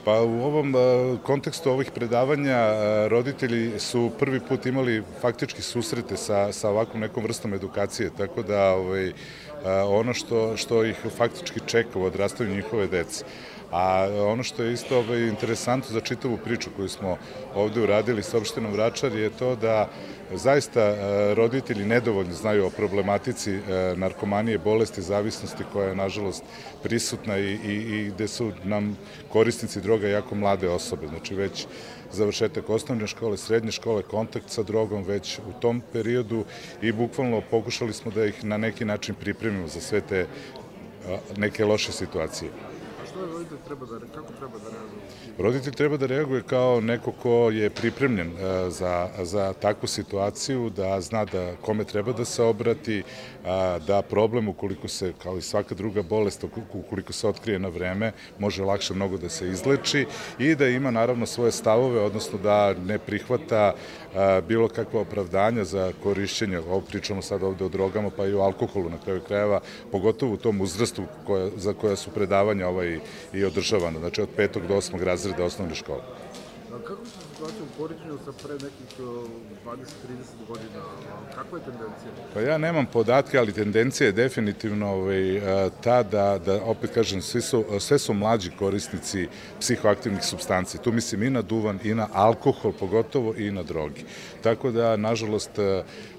Pa u ovom kontekstu ovih predavanja roditelji su prvi put imali faktički susrete sa ovakvom nekom vrstom edukacije, tako da ono što ih faktički čeka u odrastanju njihove dece. A ono što je isto interesantno za čitavu priču koju smo ovde uradili sa opštinom Vračar je to da zaista roditelji nedovoljno znaju o problematici narkomanije, bolesti, zavisnosti koja je nažalost prisutna i gde su nam korisnici droga jako mlade osobe. Znači već završetak osnovne škole, srednje škole, kontakt sa drogom već u tom periodu i bukvalno pokušali smo da ih na neki način pripremimo za sve te neke loše situacije. Što je roditelj kako treba da reaguje? Roditelj treba da reaguje kao neko ko je pripremljen za takvu situaciju, da zna da kome treba da se obrati, da problem ukoliko se, kao i svaka druga bolest, ukoliko se otkrije na vreme, može lakše mnogo da se izleči i da ima naravno svoje stavove, odnosno da ne prihvata bilo kakva opravdanja za korišćenje, ovo pričamo sad ovde o drogama pa i o alkoholu na kraju krajeva, pogotovo u tom uzrastu za koja su predavanja i održavana, znači od 5. do 8. razreda osnovne škole. Kako se situacija u poređenju sa pre nekih 20-30 godina? Kakva je tendencija? Pa ja nemam podatke, ali tendencija je definitivno ta da, opet kažem, sve su mlađi korisnici psihoaktivnih supstanci. Tu mislim i na duvan, i na alkohol, pogotovo i na drogi. Tako da, nažalost,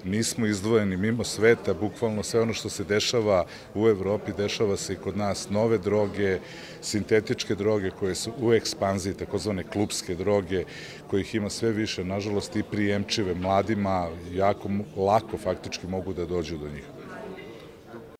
nismo izdvojeni mimo sveta, bukvalno sve ono što se dešava u Evropi, dešava se i kod nas. Nove droge, sintetičke droge koje su u ekspanziji, takozvane klupske droge, kojih ima sve više, nažalost, i prijemčive mladima, jako lako faktički mogu da dođu do njih.